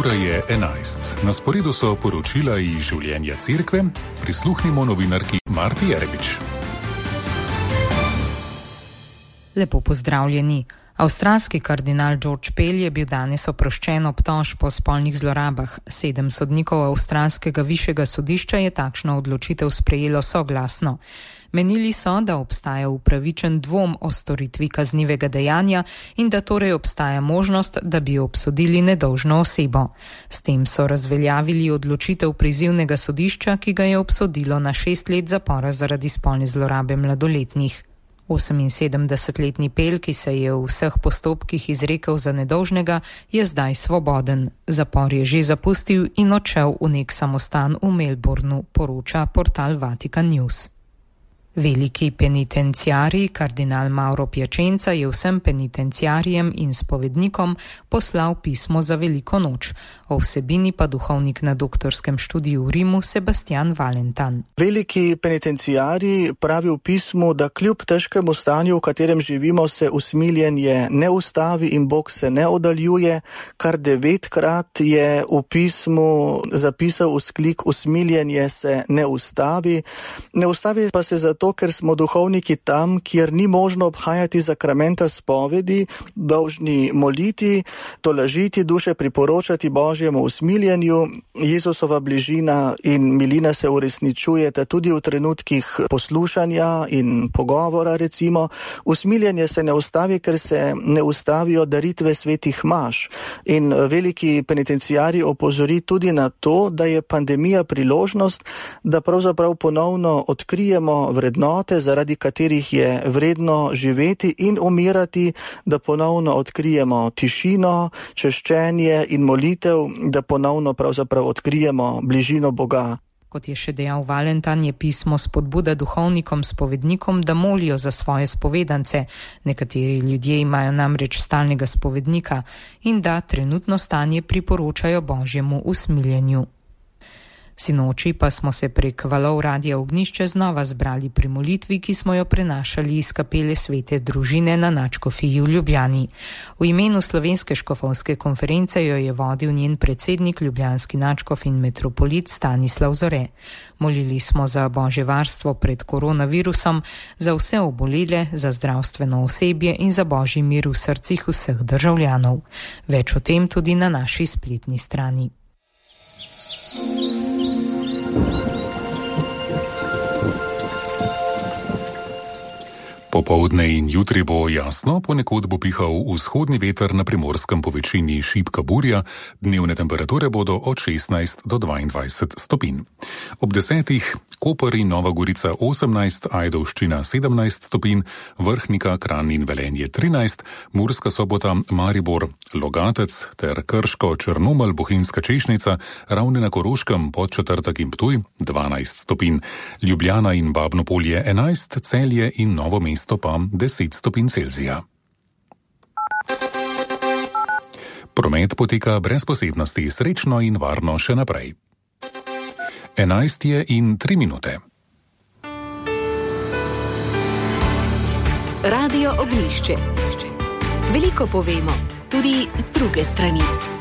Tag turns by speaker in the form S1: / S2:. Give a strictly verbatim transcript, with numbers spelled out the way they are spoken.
S1: Ura je enajst. Na sporedu so poročila iz življenja cerkve. Prisluhnimo novinarki Marti Jerebič.
S2: Lepo pozdravljeni. Avstralski kardinal George Pell je bil danes oproščen obtožb po spolnih zlorabah. Sedem sodnikov avstralskega višjega sodišča je takšno odločitev sprejelo soglasno. Menili so, da obstaja upravičen dvom o storitvi kaznivega dejanja in da torej obstaja možnost, da bi obsodili nedolžno osebo. S tem so razveljavili odločitev prizivnega sodišča, ki ga je obsodilo na šest let zapora zaradi spolne zlorabe mladoletnih. oseminsedemdesetletni Pell, ki se je v vseh postopkih izrekel za nedolžnega, je zdaj svoboden. Zapor je že zapustil in odšel v nek samostan v Melbournu, poroča portal Vatican News. Veliki penitenciarij, kardinal Mauro Piacenza, je vsem penitenciarijem in spovednikom poslal pismo za veliko noč. O vsebini pa duhovnik na doktorskem študiju v Rimu Sebastian Valentan.
S3: Veliki penitenciarij pravi v pismu, da kljub težkemu stanju, v katerem živimo, se usmiljenje ne ustavi in Bog se ne oddaljuje. Kar devetkrat je v pismu zapisal vzklik: usmiljenje se ne ustavi. Ne ustavi pa se zato, ker smo duhovniki tam, kjer ni možno obhajati zakramenta spovedi, dolžni moliti, tolažiti duše, priporočati Božjemu usmiljenju. Jezusova bližina in milina se uresničujeta tudi v trenutkih poslušanja in pogovora, recimo. Usmiljenje se ne ustavi, ker se ne ustavijo daritve svetih maš. In veliki penitenciarij opozori tudi na to, da je pandemija priložnost, da pravzaprav ponovno odkrijemo vrednote, zaradi katerih je vredno živeti in umirati, da ponovno odkrijemo tišino, češčenje in molitev, da ponovno pravzaprav odkrijemo bližino Boga.
S2: Kot je še dejal Valentan, je pismo spodbuda duhovnikom, spovednikom, da molijo za svoje spovedance. Nekateri ljudje imajo namreč stalnega spovednika in da trenutno stanje priporočajo Božjemu usmiljenju. Sinoči pa smo se prek valov Radia Ognjišče znova zbrali pri molitvi, ki smo jo prenašali iz kapele Svete družine na Nadškofiji v Ljubljani. V imenu Slovenske škofovske konference jo je vodil njen predsednik, ljubljanski nadškof in metropolit Stanislav Zore. Molili smo za Božje varstvo pred koronavirusom, za vse obolele, za zdravstveno osebje in za Božji mir v srcih vseh državljanov. Več o tem tudi na naši spletni strani.
S1: Popoldne in jutri bo jasno, ponekod bo pihal vzhodni veter, na Primorskem po večini šibka burja, dnevne temperature bodo od šestnajst do dvaindvajset stopinj. Ob desetih Koper in Nova Gorica osemnajst, Ajdovščina sedemnajst stopinj, Vrhnika, Kranj in Velenje trinajst, Murska Sobota, Maribor, Logatec ter Krško, Črnomelj, Bohinjska Češnica, Ravne na Koroškem, Podčetrtek in Ptuj dvanajst stopinj, Ljubljana in Babno Polje enajst, Celje in Novo mesto pa deset stopinj Celzija. Promet poteka brez posebnosti, srečno in varno še naprej. enajst je in tri minute.
S4: Radio Ognjišče. Veliko povemo, tudi z druge strani.